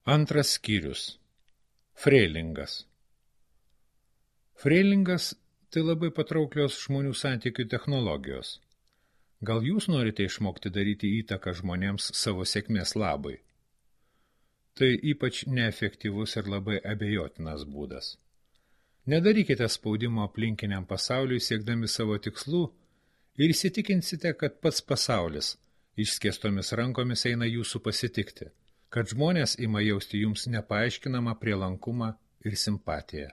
Antras skyrius. Freilingas. Freilingas – tai labai patrauklios žmonių santykių technologijos. Gal jūs norite išmokti daryti įtaką žmonėms savo sėkmės labai? Tai ypač neefektyvus ir labai abejotinas būdas. Nedarykite spaudimo aplinkiniam pasauliui siekdami savo tikslų ir įsitikinsite, kad pats pasaulis išskėstomis rankomis eina jūsų pasitikti, kad žmonės ima jausti jums nepaaiškinamą prielankumą ir simpatiją.